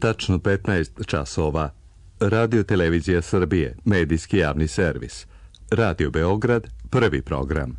Tačno 15 časova. Radio Televizija Srbije, medijski javni servis. Radio Beograd, prvi program.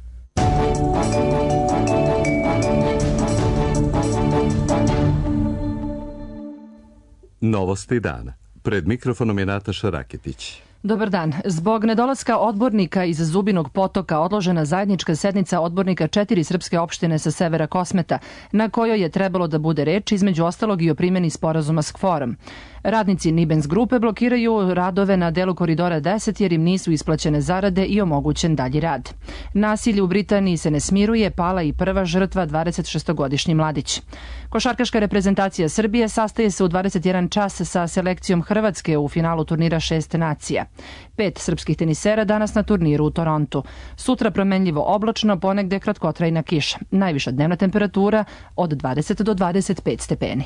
Novosti dana. Pred mikrofonom je Nataša Raketić. Dobar dan. Zbog nedolaska odbornika iz Zubinog Potoka odložena zajednička sednica odbornika 4 srpske opštine sa severa Kosmeta, na kojoj je trebalo da bude reč između ostalog i o primjeni sporazuma s KFOR-om. Radnici Nibens grupe blokiraju radove na delu koridora 10 jer im nisu isplaćene zarade i omogućen dalji rad. Nasilje u Britaniji se ne smiruje, pala i prva žrtva, 26-godišnji mladić. Košarkaška reprezentacija Srbije sastaje se u 21 čas sa selekcijom Hrvatske u finalu turnira 6 nacija. 5 srpskih tenisera danas na turniru u Torontu. Sutra promenljivo oblačno, ponegde kratkotrajna kiša. Najviša dnevna temperatura od 20 do 25 stepeni.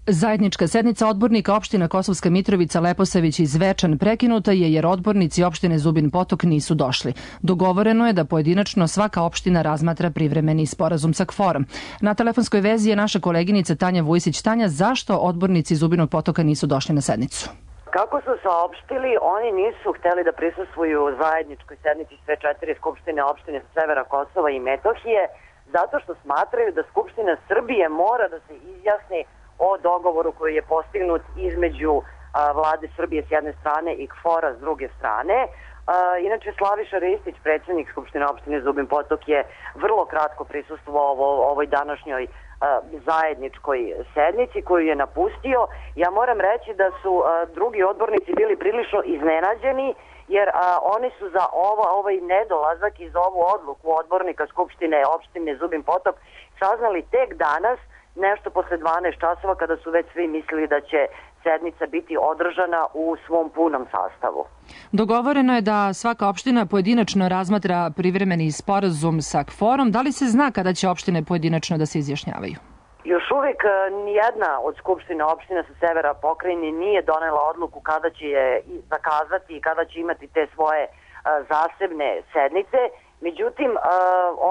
Zajednička sednica odbornika opština Kosovska Mitrovica, Leposavić i Zvečan prekinuta je jer odbornici opštine Zubin Potok nisu došli. Dogovoreno je da pojedinačno svaka opština razmatra privremeni sporazum sa KFOR-om. Na telefonskoj vezi je naša koleginica Tanja Vujsić. Tanja, zašto odbornici Zubinog Potoka nisu došli na sednicu? Kako su saopštili, oni nisu hteli da prisustvuju zajedničkoj sednici sve 4 skupštine opštine sa severa Kosova i Metohije, zato što smatraju da Skupština Srbije mora da se izjasni o dogovoru koji je postignut između vlade Srbije s jedne strane i KFOR-a s druge strane. Inače, Slaviša Ristić, predsjednik Skupštine opštine Zubin Potok, je vrlo kratko prisustvovao ovoj današnjoj zajedničkoj sednici koju je napustio. Ja moram reći da su drugi odbornici bili prilično iznenađeni jer oni su za ovaj nedolazak i za ovu odluku odbornika Skupštine opštine Zubin Potok saznali tek danas, nešto posle 12 časova, kada su već svi mislili da će sednica biti održana u svom punom sastavu. Dogovoreno je da svaka opština pojedinačno razmatra privremeni sporazum sa KFOR-om. Da li se zna kada će opštine pojedinačno da se izjašnjavaju? Još uvijek nijedna od skupština opština sa severa pokrajine nije donela odluku kada će je zakazati i kada će imati te svoje zasebne sednice. Međutim,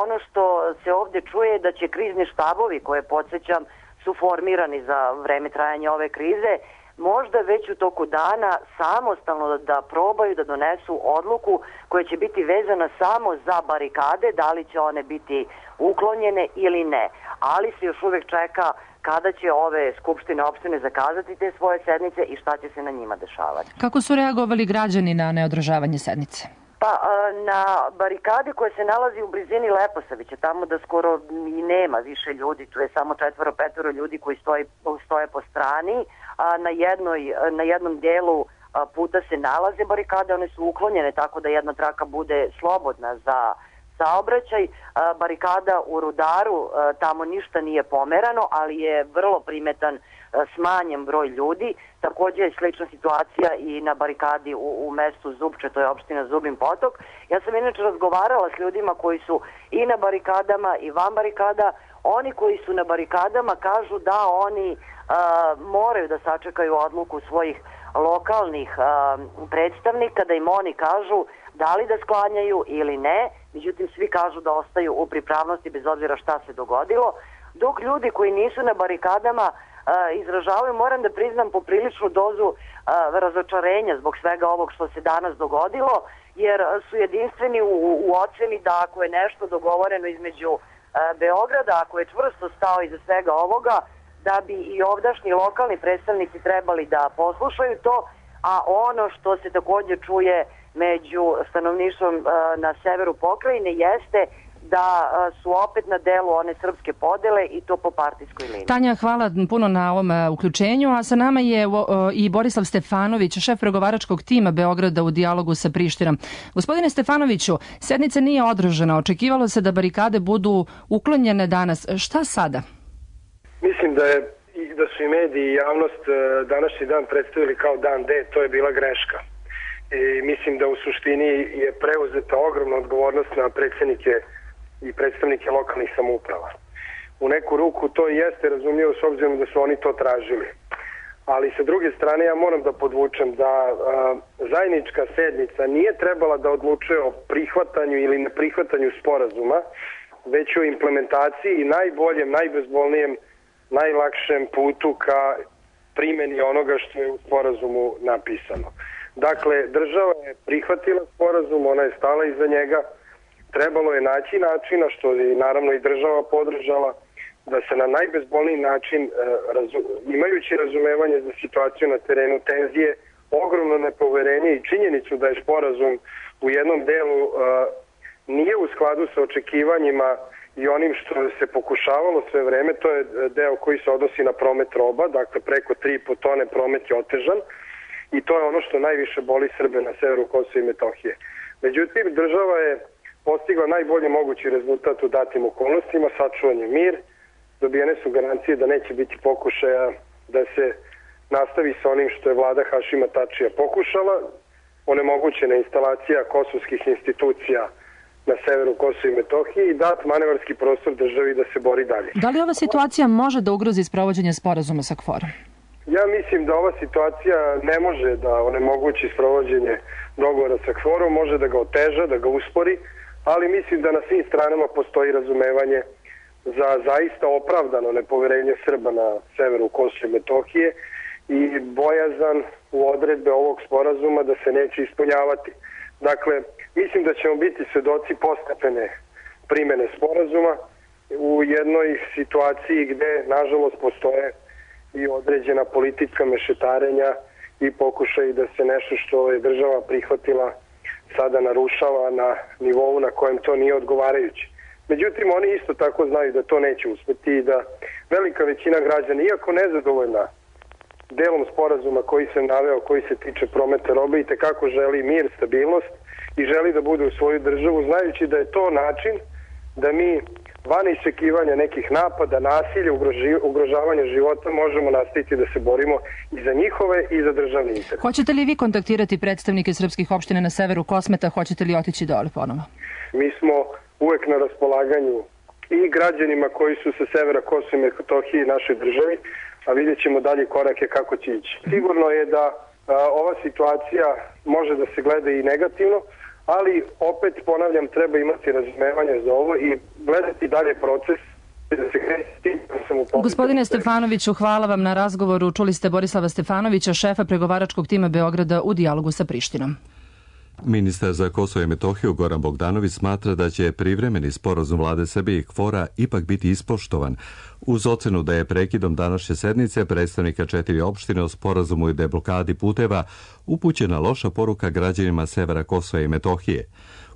ono što se ovdje čuje je da će krizni štabovi, koje podsjećam su formirani za vreme trajanja ove krize, možda već u toku dana samostalno da probaju da donesu odluku koja će biti vezana samo za barikade, da li će one biti uklonjene ili ne. Ali se još uvijek čeka kada će ove skupštine opštine zakazati te svoje sednice i šta će se na njima dešavati. Kako su reagovali građani na neodržavanje sednice? Pa na barikadi koja se nalazi u blizini Leposavića, tamo da skoro i nema više ljudi, tu je samo 4-5 ljudi koji stoje po strani, a na jednom delu puta se nalaze barikade, one su uklonjene tako da jedna traka bude slobodna za saobraćaj. Barikada u Rudaru, tamo ništa nije pomerano, ali je vrlo primetan smanjen broj ljudi. Također je slična situacija i na barikadi u mestu Zupče, to je opština Zubin Potok. Ja sam inače razgovarala s ljudima koji su i na barikadama i van barikada. Oni koji su na barikadama kažu da oni moraju da sačekaju odluku svojih lokalnih predstavnika, da im oni kažu da li da sklanjaju ili ne. Međutim, svi kažu da ostaju u pripravnosti bez obzira šta se dogodilo. Dok ljudi koji nisu na barikadama izražavaju, moram da priznam, popriličnu dozu razočarenja zbog svega ovog što se danas dogodilo, jer su jedinstveni u oceni da ako je nešto dogovoreno između Beograda, ako je čvrsto stao iza svega ovoga, da bi i ovdašnji lokalni predstavnici trebali da poslušaju to, a ono što se također čuje među stanovništvom na severu pokrajine jeste da su opet na delu one srpske podele i to po partijskoj liniji. Tanja, hvala puno na ovom uključenju, a sa nama je i Borislav Stefanović, šef pregovaračkog tima Beograda u dijalogu sa Prištinom. Gospodine Stefanoviću, sednica nije održana, očekivalo se da barikade budu uklonjene danas. Šta sada? Mislim da su i mediji i javnost današnji dan predstavili kao dan D, to je bila greška. I mislim da u suštini je preuzeta ogromna odgovornost na predsjednike i predstavnike lokalnih samouprava. U neku ruku to jeste razumljivo s obzirom da su oni to tražili. Ali sa druge strane ja moram da podvučem da zajednička sednica nije trebala da odlučuje o prihvatanju ili neprihvatanju sporazuma, već o implementaciji i najboljem, najbezbolnijem najlakšem putu ka primjeni onoga što je u sporazumu napisano. Dakle, država je prihvatila sporazum, ona je stala iza njega, trebalo je naći načina, što je naravno i država podržala, da se na najbezbolniji način, imajući razumevanje za situaciju na terenu, tenzije, ogromno nepoverenje i činjenicu da je sporazum u jednom delu nije u skladu sa očekivanjima i onim što se pokušavalo sve vreme, to je deo koji se odnosi na promet roba, dakle preko 3,5 tone promet je otežan i to je ono što najviše boli Srbe na severu Kosova i Metohije. Međutim, država je postigla najbolji mogući rezultat u datim okolnostima, sačuvan je mir, dobijene su garancije da neće biti pokušaja da se nastavi sa onim što je vlada Hašima Tačija pokušala, onemogućena instalacija kosovskih institucija na severu Kosova i Metohije i dat manevarski prostor državi da se bori dalje. Da li ova situacija može da ugrozi sprovođenje sporazuma sa KFOR-om? Ja mislim da ova situacija ne može da onemogući sprovođenje dogovora sa KFOR-om, može da ga oteža, da ga uspori, ali mislim da na svim stranama postoji razumevanje za zaista opravdano nepoverenje Srba na severu Kosova i Metohije i bojazan u odredbe ovog sporazuma da se neće ispunjavati. Dakle, mislim da ćemo biti svedoci postepene primjene sporazuma u jednoj situaciji gde, nažalost, postoje i određena politička mešetarenja i pokušaj da se nešto što je država prihvatila sada narušava na nivou na kojem to nije odgovarajuće. Međutim, oni isto tako znaju da to neće uspeti i da velika većina građana, iako nezadovoljna delom sporazuma koji sam naveo, koji se tiče prometa robe, i tekako želi mir, stabilnost i želi da bude u svoju državu, znajući da je to način da mi van iščekivanja nekih napada, nasilja, ugrožavanja života možemo nastaviti da se borimo i za njihove i za državni interes. Hoćete li vi kontaktirati predstavnike srpskih opština na severu Kosmeta? Hoćete li otići dole ponovo? Mi smo uvek na raspolaganju i građanima koji su sa severa Kosova i Metohije i našoj državi, a vidjet ćemo dalje korake kako će ići. Sigurno je da ova situacija može da se gleda i negativno, ali opet, ponavljam, treba imati razumevanje za ovo i gledati dalje proces. Gospodine Stefanoviću, hvala vam na razgovoru. Čuli ste Borislava Stefanovića, šefa pregovaračkog tima Beograda u dijalogu sa Prištinom. Ministar za Kosovo i Metohiju Goran Bogdanović smatra da će privremeni sporazum vlade Srbije i KFOR-a ipak biti ispoštovan, uz ocenu da je prekidom današnje sednice predstavnika 4 opštine o sporazumu i deblokadi puteva upućena loša poruka građanima severa Kosova i Metohije.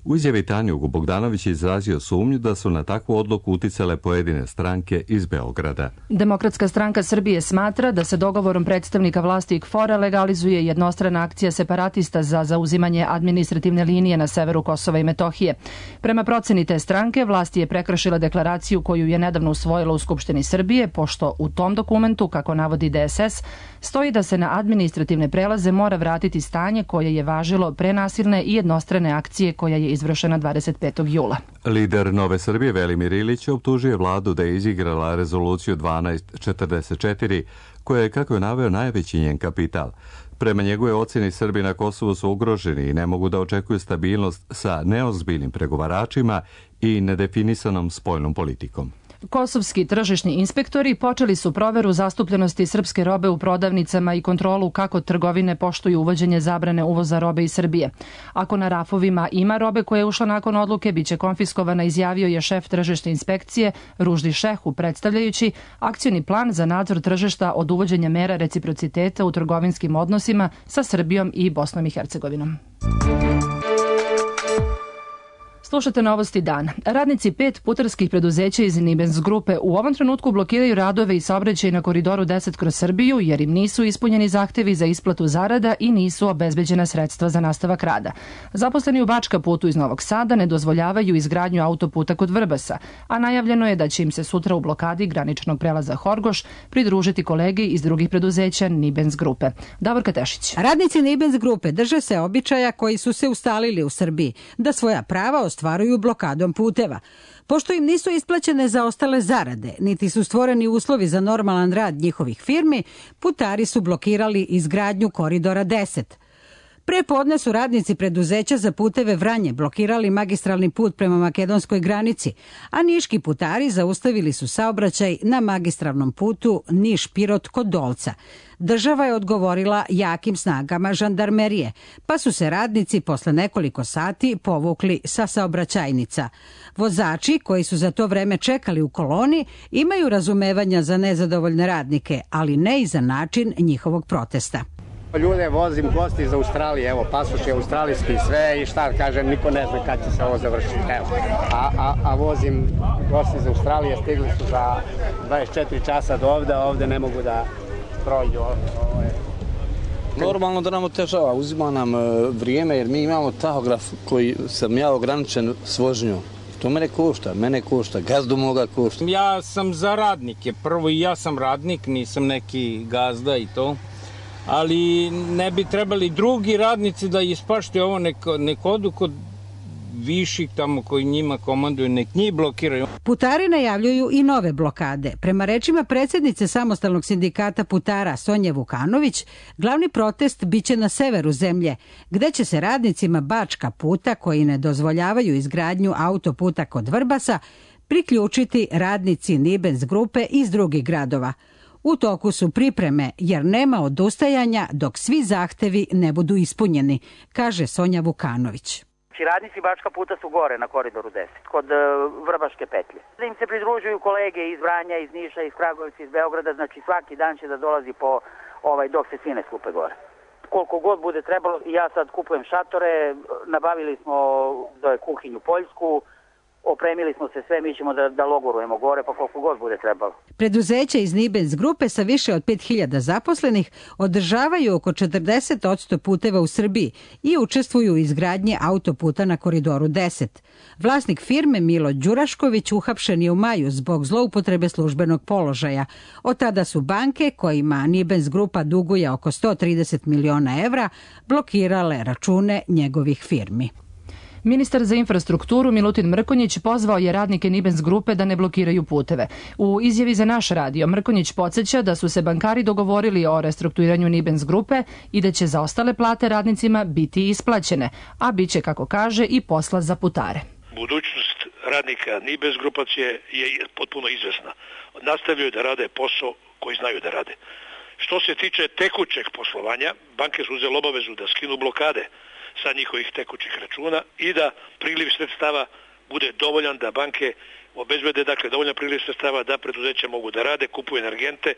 U izjavi Tanjugu Bogdanović je izrazio sumnju da su na takvu odluku uticale pojedine stranke iz Beograda. Demokratska stranka Srbije smatra da se dogovorom predstavnika vlasti i KFOR-a legalizuje jednostrana akcija separatista za zauzimanje administrativne linije na severu Kosova i Metohije. Prema proceni te stranke, vlast je prekršila deklaraciju koju je nedavno usvojila u Skupštini Srbije, pošto u tom dokumentu, kako navodi DSS, stoji da se na administrativne prelaze mora vratiti stanje koje je važilo pre nasilne i jednostrane akcije koja je izvršena 25. jula. Lider Nove Srbije Velimir Ilić optužuje vladu da je izigrala rezoluciju 1244, koja je, kako je naveo, najveći njen kapital. Prema njegove ocjeni, Srbi na Kosovu su ugroženi i ne mogu da očekuju stabilnost sa neozbiljnim pregovaračima i nedefinisanom spoljnom politikom. Kosovski tržišni inspektori počeli su proveru zastupljenosti srpske robe u prodavnicama i kontrolu kako trgovine poštuju uvođenje zabrane uvoza robe iz Srbije. Ako na rafovima ima robe koja je ušla nakon odluke, biće konfiskovana, izjavio je šef tržišne inspekcije Ruždi Šehu, predstavljajući akcioni plan za nadzor tržišta od uvođenja mera reciprociteta u trgovinskim odnosima sa Srbijom i Bosnom i Hercegovinom. Slušate Novosti dana. Radnici 5 putarskih preduzeća iz Nibens grupe u ovom trenutku blokiraju radove i saobraćaj na koridoru 10 kroz Srbiju jer im nisu ispunjeni zahtevi za isplatu zarada i nisu obezbeđena sredstva za nastavak rada. Zaposleni u Bačka putu iz Novog Sada ne dozvoljavaju izgradnju autoputa kod Vrbasa, a najavljeno je da će im se sutra u blokadi graničnog prelaza Horgoš pridružiti kolege iz drugih preduzeća Nibens grupe. Davorka Tešić. Radnici Nibens grupe drže se običaja koji su se ustalili u Srbiji, da svoja prava ostvaruju blokadom puteva. Pošto im nisu isplaćene zaostale zarade, niti su stvoreni uslovi za normalan rad njihovih firmi, putari su blokirali izgradnju koridora 10. Pre podne su radnici preduzeća za puteve Vranje blokirali magistralni put prema makedonskoj granici, a niški putari zaustavili su saobraćaj na magistralnom putu Niš-Pirot kod Dolca. Država je odgovorila jakim snagama žandarmerije, pa su se radnici posle nekoliko sati povukli sa saobraćajnica. Vozači koji su za to vreme čekali u koloni imaju razumevanja za nezadovoljne radnike, ali ne i za način njihovog protesta. Ljude vozim gosti iz Australije, evo pasoš je australijski sve i šta kažem, niko ne zna kad će se ovo završiti. Evo. A vozim gosti iz Australije, stigli su za 24 časa do ovde ne mogu da prođu. Normalno da nam otežava, uzima nam vrijeme jer mi imamo tahograf koji sam ja ograničen s vožnjom. To mene košta, gazdu moga košta. Ja sam za radnike, prvo i ja sam radnik, nisam neki gazda i to. Ali ne bi trebali drugi radnici da ispašte ovo, nek odu kod viših tamo koji njima komanduju, nek njih blokiraju. Putari najavljuju i nove blokade. Prema rečima predsjednice Samostalnog sindikata putara Sonje Vukanović, glavni protest biće na severu zemlje, gde će se radnicima Bačka puta, koji ne dozvoljavaju izgradnju autoputa kod Vrbasa, priključiti radnici Nibens grupe iz drugih gradova. U toku su pripreme jer nema odustajanja dok svi zahtevi ne budu ispunjeni, kaže Sonja Vukanović. Radnici Bačka puta su gore na koridoru 10, kod Vrbaške petlje. Da im se pridružuju kolege iz Vranja, iz Niša, iz Kragujevca, iz Beograda, znači svaki dan će da dolazi po dok se svi ne skupe gore. Koliko god bude trebalo, ja sad kupujem šatore, nabavili smo kuhinju poljsku, opremili smo se sve, mi ćemo da logorujemo gore, pa koliko god bude trebalo. Preduzeća iz Nibens grupe sa više od 5000 zaposlenih održavaju oko 40% puteva u Srbiji i učestvuju u izgradnji autoputa na koridoru 10. Vlasnik firme Milo Đurašković uhapšen je u maju zbog zloupotrebe službenog položaja. Od tada su banke, kojima Nibens grupa duguje oko 130 miliona evra, blokirale račune njegovih firmi. Ministar za infrastrukturu Milutin Mrkonjić pozvao je radnike Nibens grupe da ne blokiraju puteve. U izjavi za naš radio Mrkonjić podsjeća da su se bankari dogovorili o restrukturiranju Nibens grupe i da će za ostale plate radnicima biti isplaćene, a bit će, kako kaže, i posla za putare. Budućnost radnika Nibens grupacije je potpuno izvesna. Nastavljaju da rade posao koji znaju da rade. Što se tiče tekućeg poslovanja, banke su uzeli obavezu da skinu blokade sa njihovih tekućih računa i da priliv sredstava bude dovoljan, da banke obezbede dovoljan priliv sredstava da preduzeća mogu da rade, kupuju energente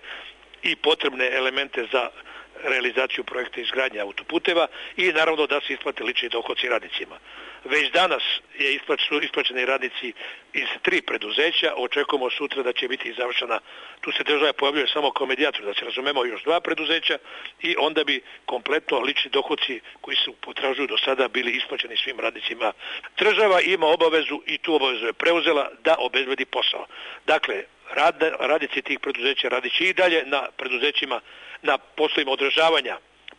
i potrebne elemente za realizaciju projekta izgradnje autoputeva i naravno da se isplate lični dohodci radnicima. Već danas su isplaćeni radnici iz 3 preduzeća, očekujemo sutra da će biti završena, tu se država pojavljuje samo kao medijator, da se razumemo još 2 preduzeća i onda bi kompletno lični dohodci koji su potražuju do sada bili isplaćeni svim radnicima. Država ima obavezu i tu obavezu je preuzela da obezbedi posao. Dakle, radnici tih preduzeća radiće i dalje na preduzećima, na poslovima održavanja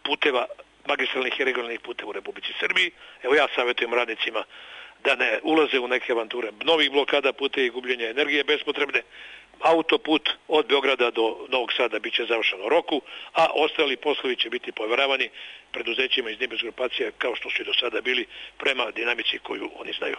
puteva, magistralnih i regionalnih puteva u Republici Srbiji. Evo ja savjetujem radnicima da ne ulaze u neke avanture novih blokada puteva i gubljenja energije bespotrebne. Autoput od Beograda do Novog Sada biće završen u roku, a ostali poslovi će biti povjeravani preduzećima iz Nibens grupacije kao što su i do sada bili prema dinamici koju oni znaju.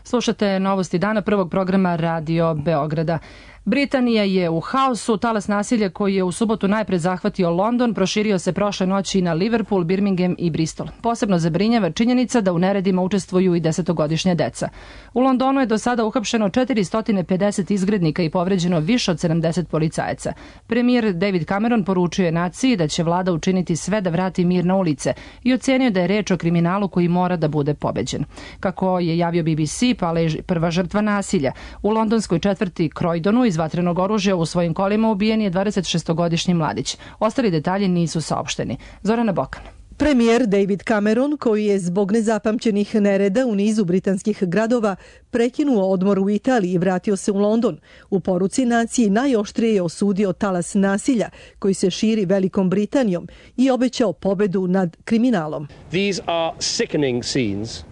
Slušate novosti dana prvog programa Radio Beograda. Britanija je u haosu. Talas nasilja koji je u subotu najpred zahvatio London proširio se prošle noći na Liverpool, Birmingham i Bristol. Posebno zabrinjava činjenica da u neredima učestvuju i 10-godišnja deca. U Londonu je do sada uhapšeno 450 izgrednika i povređeno više od 70 policajaca. Premijer David Cameron poručio je naciji da će vlada učiniti sve da vrati mir na ulice i ocenio da je reč o kriminalu koji mora da bude pobeđen. Kako je javio BBC, pala je prva žrtva nasilja. U londonskoj četvrti Croydonu iz vatrenog oružja u svojim kolima ubijen je 26-godišnji mladić. Ostali detalji nisu saopšteni. Zorana Bokan. Premijer David Cameron, koji je zbog nezapamćenih nereda u nizu britanskih gradova prekinuo odmor u Italiji i vratio se u London, u poruci naciji najoštrije je osudio talas nasilja koji se širi Velikom Britanijom i obećao pobedu nad kriminalom. These are sickening scenes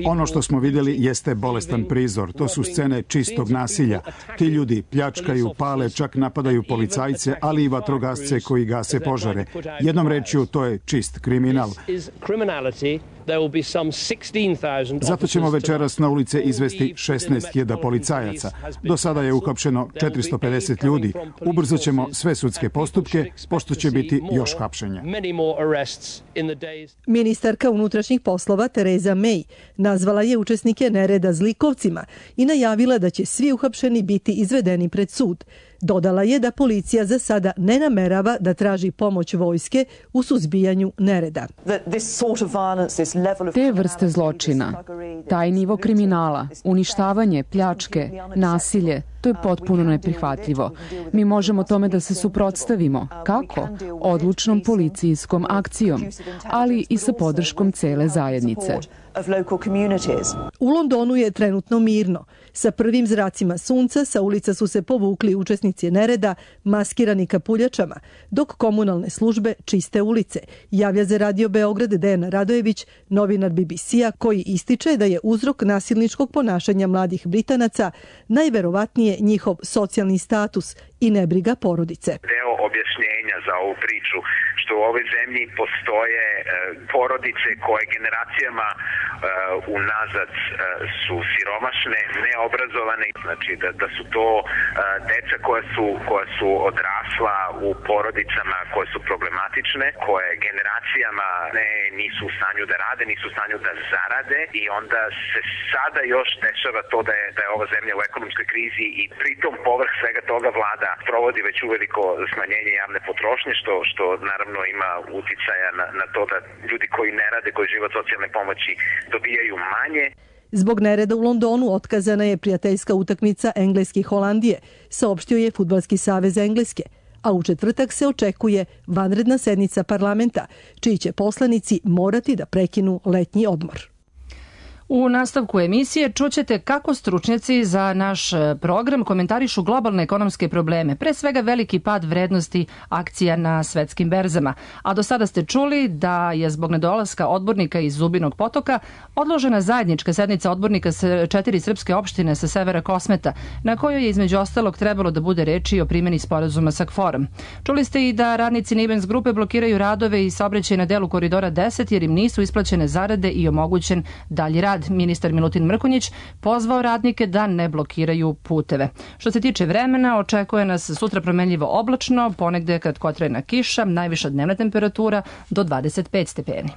Ono što smo vidjeli jeste bolestan prizor. To su scene čistog nasilja. Ti ljudi pljačkaju, pale, čak napadaju policajce, ali i vatrogasce koji gase požare. Jednom rečju, to je čist kriminal. Zato ćemo večeras na ulice izvesti 16.000 policajaca. Do sada je uhapšeno 450 ljudi. Ubrzo ćemo sve sudske postupke, pošto će biti još hapšenja. Ministarka unutrašnjih poslova Tereza May nazvala je učesnike nereda zlikovcima i najavila da će svi uhapšeni biti izvedeni pred sud. Dodala je da policija za sada ne namerava da traži pomoć vojske u suzbijanju nereda. Te vrste zločina, taj nivo kriminala, uništavanje, pljačke, nasilje, to je potpuno neprihvatljivo. Mi možemo tome da se suprotstavimo. Kako? Odlučnom policijskom akcijom, ali i sa podrškom cele zajednice. U Londonu je trenutno mirno. Sa prvim zracima sunca sa ulica su se povukli učesnici nereda maskirani kapuljačama, dok komunalne službe čiste ulice. Javlja za Radio Beograd Dejana Radojević, novinar BBC-a, koji ističe da je uzrok nasilničkog ponašanja mladih Britanaca najverovatnije njihov socijalni status i nebriga porodice. Deo objašnjenja za ovu priču što u ovoj zemlji postoje porodice koje generacijama unazad su siromašne, neobrazovane, znači da su to deca koja su odrasla u porodicama koje su problematične, koje generacijama nisu u stanju da rade, nisu u stanju da zarade i onda se sada još dešava to da je ova zemlja u ekonomskoj krizi i pritom povrh svega toga vlada provodi već uveliko smanjenje javne potrošnje, što naravno ima uticaja na to da ljudi koji ne rade, koji žive od socijalne pomoći, dobijaju manje. Zbog nereda u Londonu otkazana je prijateljska utakmica Engleske i Holandije, saopštio je Fudbalski savez Engleske, a u četvrtak se očekuje vanredna sednica parlamenta, čiji će poslanici morati da prekinu letnji odmor. U nastavku emisije čućete kako stručnjaci za naš program komentarišu globalne ekonomske probleme, pre svega veliki pad vrednosti akcija na svetskim berzama. A do sada ste čuli da je zbog nedolaska odbornika iz Zubinog Potoka odložena zajednička sednica odbornika sa 4 srpske opštine sa severa Kosmeta, na kojoj je između ostalog trebalo da bude reči o primjeni sporazuma sa KFOR-om. Čuli ste i da radnici Nibens grupe blokiraju radove i saobraćaj na delu koridora 10 jer im nisu isplaćene zarade i omogućen dalji rad. Ministar Milutin Mrkonjić pozvao radnike da ne blokiraju puteve. Što se tiče vremena, očekuje nas sutra promenljivo oblačno, ponegde kratkotrajna kiša, najviša dnevna temperatura do 25 stepeni.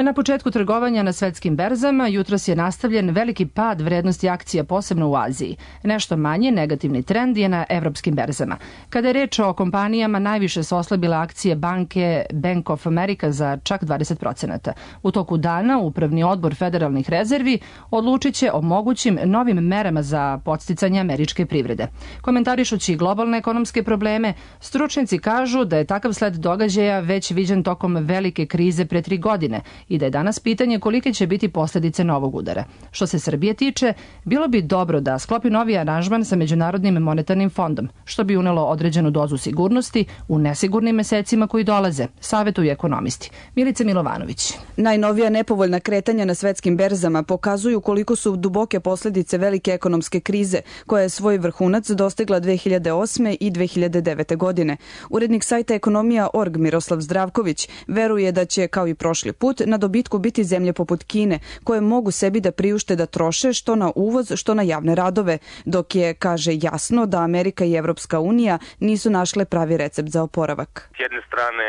Na početku trgovanja na svetskim berzama jutros je nastavljen veliki pad vrednosti akcija, posebno u Aziji. Nešto manje negativni trend je na evropskim berzama. Kada je reč o kompanijama, najviše su oslabile akcije banke Bank of America za čak 20%. U toku dana Upravni odbor federalnih rezervi odlučit će o mogućim novim merama za podsticanje američke privrede. Komentarišući globalne ekonomske probleme, stručnjaci kažu da je takav sled događaja već viđen tokom velike krize pre 3 godine i da je danas pitanje kolike će biti posljedice novog udara. Što se Srbije tiče, bilo bi dobro da sklopi novi aranžman sa Međunarodnim monetarnim fondom, što bi unelo određenu dozu sigurnosti u nesigurnim mesecima koji dolaze, savetuju ekonomisti. Milica Milovanović. Najnovija nepovoljna kretanja na svetskim berzama pokazuju koliko su duboke posljedice velike ekonomske krize, koja je svoj vrhunac dostigla 2008. i 2009. godine. Urednik sajta Ekonomija.org Miroslav Zdravković veruje da će, kao i prošli put, na dobitku biti zemlje poput Kine, koje mogu sebi da priušte da troše što na uvoz, što na javne radove, dok je, kaže, jasno da Amerika i Evropska unija nisu našle pravi recept za oporavak. S jedne strane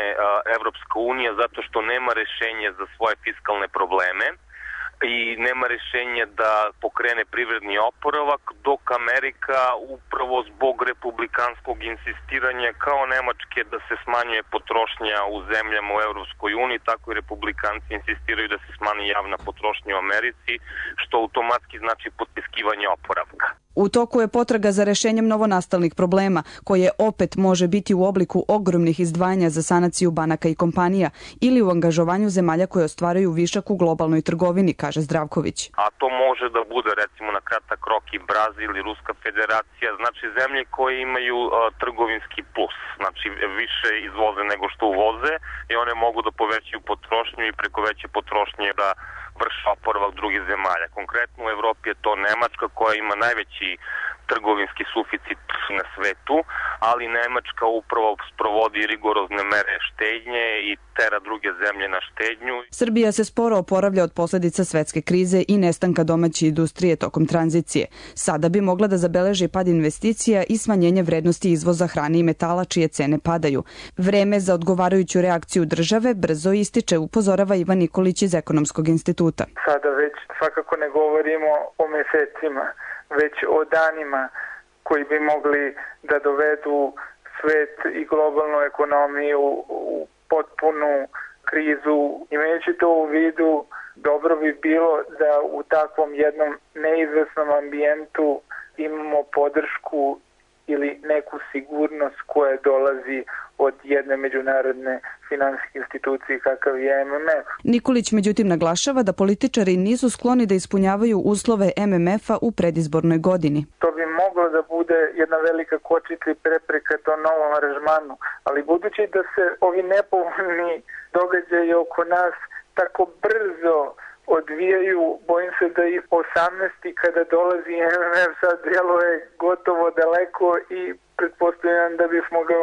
Evropska unija zato što nema rešenje za svoje fiskalne probleme i nema rešenja da pokrene privredni oporavak, dok Amerika upravo zbog republikanskog insistiranja kao Nemačke da se smanjuje potrošnja u zemljama u Evropskoj uniji, tako i republikanci insistiraju da se smanji javna potrošnja u Americi, što automatski znači potiskivanje oporavka. U toku je potraga za rešenjem novonastalih problema, koje opet može biti u obliku ogromnih izdvajanja za sanaciju banaka i kompanija ili u angažovanju zemalja koje ostvaraju višak u globalnoj trgovini, kaže Zdravković. A to može da bude recimo na kratak rok i Brazil i Ruska federacija, znači zemlje koje imaju trgovinski plus, znači više izvoze nego što uvoze i one mogu da povećaju potrošnju i preko veće potrošnje da vrši oporavak drugih zemalja. Konkretno u Evropi je to Nemačka koja ima najveći trgovinski suficit na svetu, ali Nemačka upravo sprovodi rigorozne mere štednje i tera druge zemlje na štednju. Srbija se sporo oporavlja od posledica svetske krize i nestanka domaće industrije tokom tranzicije. Sada bi mogla da zabeleži pad investicija i smanjenje vrednosti izvoza hrane i metala čije cene padaju. Vreme za odgovarajuću reakciju države brzo ističe, upozorava Ivan Nikolić iz Ekonomskog instituta. Sada već svakako ne govorimo o mesecima, već o danima koji bi mogli da dovedu svet i globalnu ekonomiju u potpunu krizu. Imajući to u vidu, dobro bi bilo da u takvom jednom neizvesnom ambijentu imamo podršku ili neku sigurnost koja dolazi od jedne međunarodne finansijske institucije kakav je MMF. Nikolić međutim naglašava da političari nisu skloni da ispunjavaju uslove MMF-a u predizbornoj godini. To bi moglo da bude jedna velika kočica i prepreka tom novom aranžmanu, ali budući da se ovi nepovoljni događaji oko nas tako brzo odvijaju, bojim se da i 18. kada dolazi MMF sad djeluje gotovo daleko i pretpostavljam da bismo ga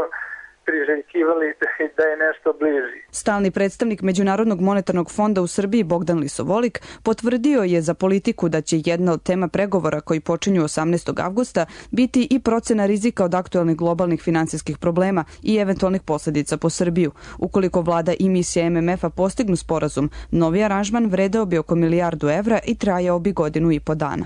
priželjkivali da je nešto bliži. Stalni predstavnik Međunarodnog monetarnog fonda u Srbiji Bogdan Lisovolik potvrdio je za politiku da će jedna od tema pregovora koji počinju 18. avgusta biti i procena rizika od aktualnih globalnih finansijskih problema i eventualnih posledica po Srbiju. Ukoliko vlada i misija MMF-a postignu sporazum, novi aranžman vredeo bi oko €1.000.000 i trajao bi 1,5 dana.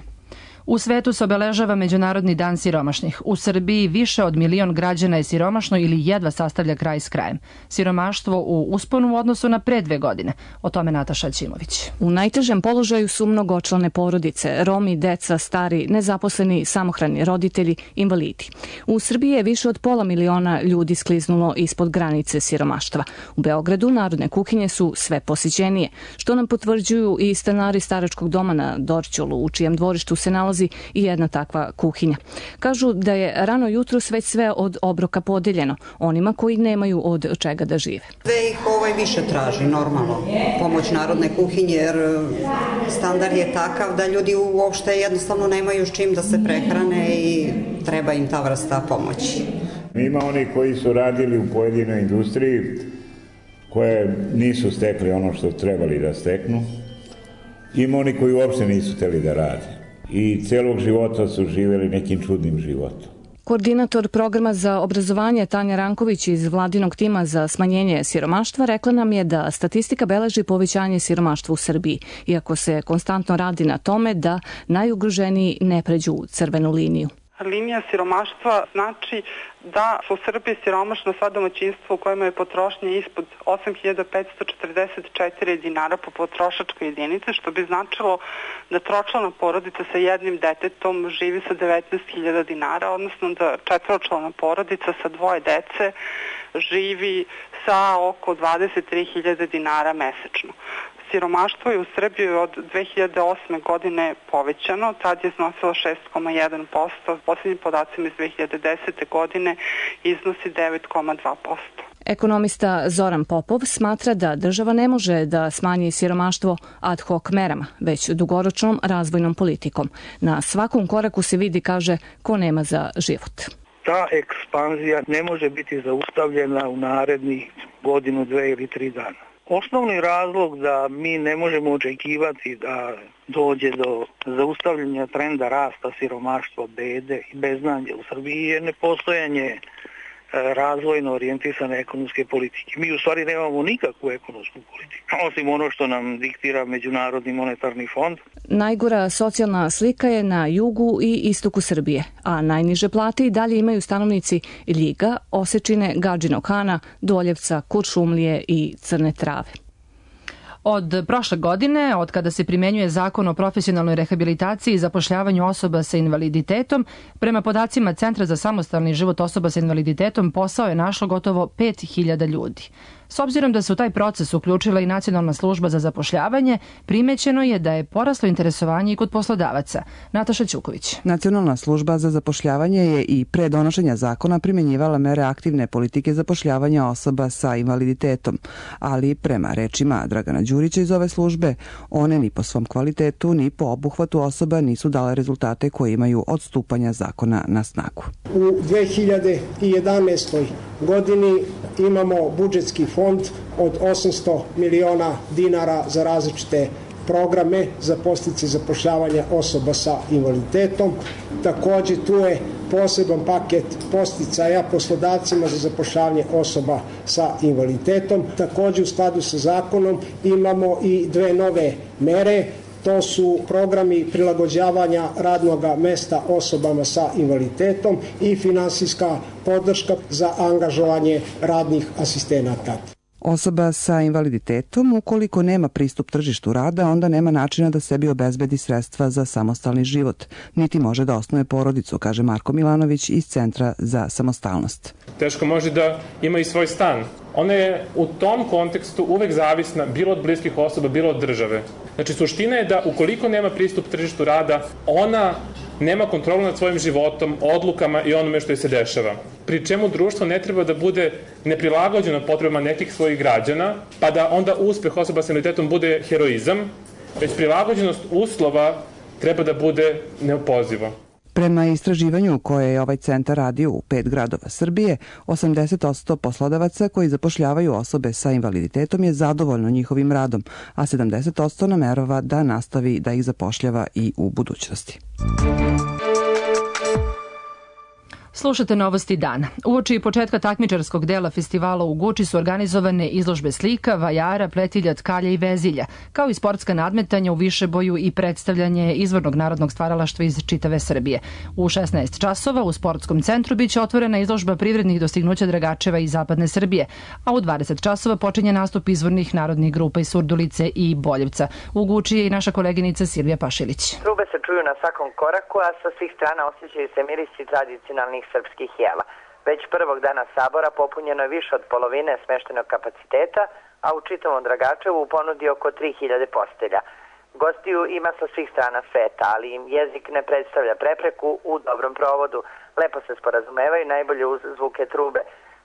U svetu se obeležava Međunarodni dan siromašnih. U Srbiji više od 1.000.000 građana je siromašno ili jedva sastavlja kraj s krajem. Siromaštvo u usponu u odnosu na pre 2 godine. O tome Nataša Ćimović. U najtežem položaju su mnogočlane porodice, Romi, deca, stari, nezaposleni, samohrani roditelji, invalidi. U Srbiji je više od 500.000 ljudi skliznulo ispod granice siromaštva. U Beogradu narodne kuhinje su sve posjećenije, što nam potvrđuju i stanari staračkog doma na Dorćolu, u čijem dvorištu se nalazi i jedna takva kuhinja. Kažu da je rano jutro sve od obroka podeljeno onima koji nemaju od čega da žive. Sve ih više traži, normalno, pomoć narodne kuhinje, jer standard je takav da ljudi uopšte jednostavno nemaju s čim da se prehrane i treba im ta vrsta pomoći. Ima oni koji su radili u pojedinoj industriji koje nisu stekli ono što trebali da steknu. Ima oni koji uopšte nisu hteli da rade. I celog života su živjeli nekim čudnim životom. Koordinator programa za obrazovanje Tanja Ranković iz vladinog tima za smanjenje siromaštva rekla nam je da statistika beleži povećanje siromaštva u Srbiji, iako se konstantno radi na tome da najugroženiji ne pređu crvenu liniju. Linija siromaštva znači da su u Srbiji siromašno sva domaćinstva u kojima je potrošnja ispod 8.544 dinara po potrošačkoj jedinici, što bi značilo da tročlana porodica sa jednim detetom živi sa 19.000 dinara, odnosno da četvoročlana porodica sa 2 dece živi sa oko 23.000 dinara mesečno. Siromaštvo je u Srbiji od 2008. godine povećano, tad je iznosilo 6,1%, posljednjim podacima iz 2010. godine iznosi 9,2%. Ekonomista Zoran Popov smatra da država ne može da smanji siromaštvo ad hoc merama, već dugoročnom razvojnom politikom. Na svakom koraku se vidi, kaže, ko nema za život. Ta ekspanzija ne može biti zaustavljena u narednih 1, 2 ili 3 dana. Osnovni razlog da mi ne možemo očekivati da dođe do zaustavljanja trenda rasta siromaštva, bede i beznadja u Srbiji je nepostojanje razvojno orijentisane ekonomske politike. Mi u stvari nemamo nikakvu ekonomsku politiku, osim ono što nam diktira Međunarodni monetarni fond. Najgora socijalna slika je na jugu i istoku Srbije, a najniže plate i dalje imaju stanovnici Ljiga, Osečine, Gadžinog Hana, Doljevca, Kuršumlije i Crne Trave. Od prošle godine, od kada se primenjuje zakon o profesionalnoj rehabilitaciji i zapošljavanju osoba sa invaliditetom, prema podacima Centra za samostalni život osoba sa invaliditetom posao je našlo gotovo 5.000 ljudi. S obzirom da se u taj proces uključila i Nacionalna služba za zapošljavanje, primećeno je da je poraslo interesovanje i kod poslodavaca. Nataša Ćuković. Nacionalna služba za zapošljavanje je i pre donošenja zakona primjenjivala mere aktivne politike zapošljavanja osoba sa invaliditetom, ali prema rečima Dragana Đurića iz ove službe, one ni po svom kvalitetu ni po obuhvatu osoba nisu dale rezultate koje imaju od stupanja zakona na snagu. U 2011. godini imamo budžetski fond od 800 miliona dinara za različite programe za podsticaje zapošljavanja osoba sa invaliditetom. Takođe tu je poseban paket podsticaja poslodavcima za zapošljavanje osoba sa invaliditetom. Takođe u skladu sa zakonom imamo i dve nove mere. To su programi prilagođavanja radnog mesta osobama sa invaliditetom i finansijska podrška za angažovanje radnih asistenata. Osoba sa invaliditetom, ukoliko nema pristup tržištu rada, onda nema načina da sebi obezbedi sredstva za samostalni život, niti može da osnuje porodicu, kaže Marko Milanović iz Centra za samostalnost. Teško može da ima i svoj stan. Ona je u tom kontekstu uvek zavisna bilo od bliskih osoba, bilo od države. Znači, suština je da ukoliko nema pristup tržištu rada, ona nema kontrolu nad svojim životom, odlukama i onome što joj se dešava. Pri čemu društvo ne treba da bude neprilagođeno potrebama nekih svojih građana, pa da onda uspeh osoba sa invaliditetom bude heroizam, već prilagođenost uslova treba da bude neopoziva. Prema istraživanju koje je ovaj centar radio u 5 gradova Srbije, 80% poslodavaca koji zapošljavaju osobe sa invaliditetom je zadovoljno njihovim radom, a 70% namerava da nastavi da ih zapošljava i u budućnosti. Slušate Novosti dana. Uoči početka takmičarskog dela festivala u Guči su organizovane izložbe slika, vajara, pletilja, tkalja i vezilja, kao i sportska nadmetanja u višeboju i predstavljanje izvornog narodnog stvaralaštva iz čitave Srbije. U 16 časova u sportskom centru biće otvorena izložba privrednih dostignuća Dragačeva iz zapadne Srbije, a u 20 časova počinje nastup izvornih narodnih grupa iz Surdulice i Boljevca. U Guči je i naša koleginica Silvija Pašilić. Trube se čuju na svakom koraku, a sa svih strana osjećaju se mirisi tradicionalnih srpskih jela. Već prvog dana sabora popunjeno je više od polovine smeštenog kapaciteta, a u čitavom Dragačevu u ponudi oko 3000 postelja. Gostiju ima sa svih strana sveta, ali im jezik ne predstavlja prepreku u dobrom provodu. Lepo se sporazumevaju najbolje uz zvuke trube.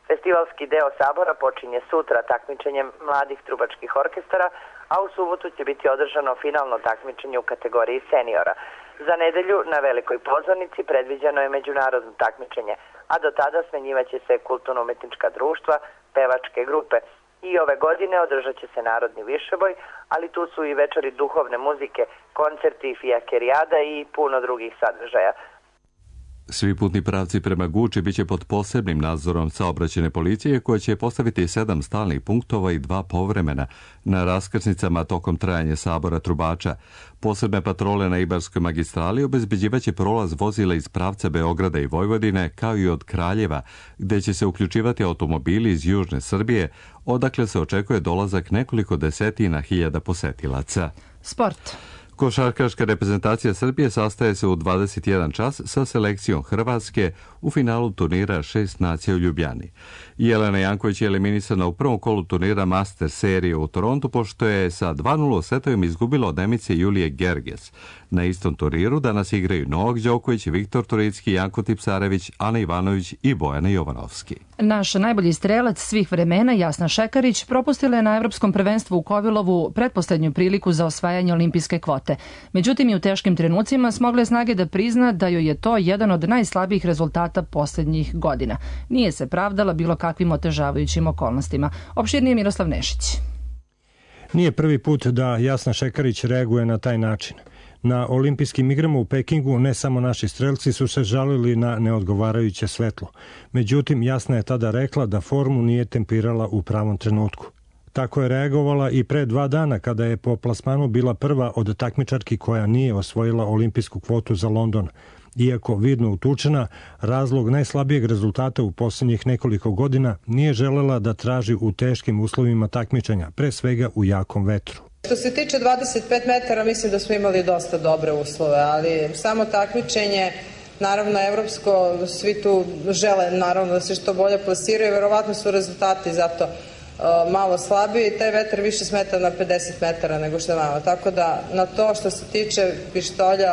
Festivalski deo sabora počinje sutra takmičenjem mladih trubačkih orkestara, a u subotu će biti održano finalno takmičenje u kategoriji seniora. Za nedelju na velikoj pozornici predviđeno je međunarodno takmičenje, a do tada smenjivaće se kulturno-umetnička društva, pevačke grupe. I ove godine održat će se narodni višeboj, ali tu su i večeri duhovne muzike, koncerti, fijakerijada i puno drugih sadržaja. Svi putni pravci prema Guči biće pod posebnim nadzorom saobraćajne policije koja će postaviti 7 stalnih punktova i 2 povremena na raskrsnicama tokom trajanja sabora trubača. Posebne patrole na Ibarskoj magistrali obezbeđivaće prolaz vozila iz pravca Beograda i Vojvodine kao i od Kraljeva, gde će se uključivati automobili iz južne Srbije, odakle se očekuje dolazak nekoliko desetina hiljada posetilaca. Sport. Košarkaška reprezentacija Srbije sastaje se u 21 čas sa selekcijom Hrvatske u finalu turnira 6 nacija u Ljubljani. Jelena Janković je eliminisana u prvom kolu turnira Master serije u Torontu, pošto je sa 2:0 setovima izgubila od Nemice Julije Gerges. Na istom turniru danas igraju Novak Đoković, Viktor Turicki, Janko Tipsarević, Ana Ivanović i Bojana Jovanovski. Naš najbolji strelac svih vremena, Jasna Šekarić, propustila je na Evropskom prvenstvu u Kovilovu pretposlednju priliku za osvajanje olimpijske kvote. Međutim, i u teškim trenucima smogla je snage da prizna da joj je to jedan od najslabijih rezultata posljednjih godina. Nije se pravdala bilo kakvim otežavajućim okolnostima. Opširnije Miroslav Nešić. Nije prvi put da Jasna Šekarić reaguje na taj način. Na olimpijskim igrama u Pekingu ne samo naši strelci su se žalili na neodgovarajuće svetlo. Međutim, Jasna je tada rekla da formu nije tempirala u pravom trenutku. Tako je reagovala i pre 2 dana kada je po plasmanu bila prva od takmičarki koja nije osvojila olimpijsku kvotu za London. Iako vidno utučena, razlog najslabijeg rezultata u posljednjih nekoliko godina nije želela da traži u teškim uslovima takmičenja, pre svega u jakom vetru. Što se tiče 25 metara, mislim da smo imali dosta dobre uslove, ali samo takmičenje, naravno evropsko, svi tu žele naravno da se što bolje plasiraju, verovatno su rezultati zato malo slabiji i taj vetar više smeta na 50 metara nego što je malo. Tako da na to što se tiče pištolja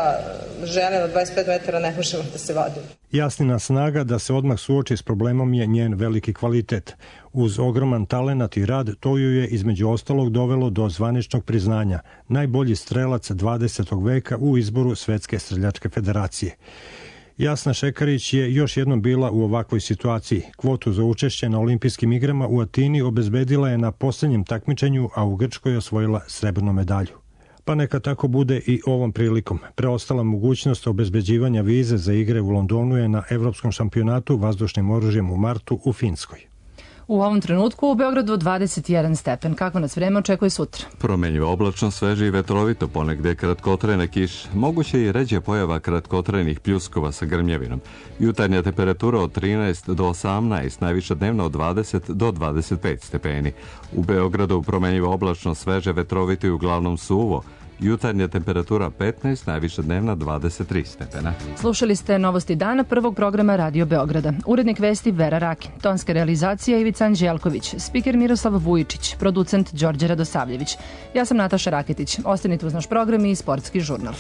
žene na 25 metara ne možemo da se vadimo. Jasnina snaga da se odmah suoči s problemom je njen veliki kvalitet. Uz ogroman talenat i rad, to ju je između ostalog dovelo do zvaničnog priznanja, najbolji strelac 20. veka u izboru Svetske streljačke federacije. Jasna Šekarić je još jednom bila u ovakvoj situaciji. Kvotu za učešće na olimpijskim igrama u Atini obezbedila je na poslednjem takmičenju, a u Grčkoj osvojila srebrnu medalju. Pa neka tako bude i ovom prilikom. Preostala mogućnost obezbeđivanja vize za igre u Londonu je na Evropskom šampionatu vazdušnim oružjem u martu u Finskoj. U ovom trenutku u Beogradu 21 stepen. Kako nas vreme očekuje sutra? Promenjivo oblačno, sveže i vetrovito, ponegde kratkotrajna kiša. Moguće i ređe pojava kratkotrajnih pljuskova sa grmljavinom. Jutarnja temperatura od 13 do 18, najviša dnevna od 20 do 25 stepeni. U Beogradu promenjivo oblačno, sveže, vetrovito i uglavnom suvo. Jutarnja temperatura 15, najviša dnevna 23 stepena. Slušali ste novosti dana prvog programa Radio Beograda. Urednik vesti Vera Rakin, tonska realizacija Ivica Anđelković, spiker Miroslav Vujičić, producent Đorđe Radosavljević. Ja sam Nataša Raketić. Ostanite uz naš program i sportski žurnal.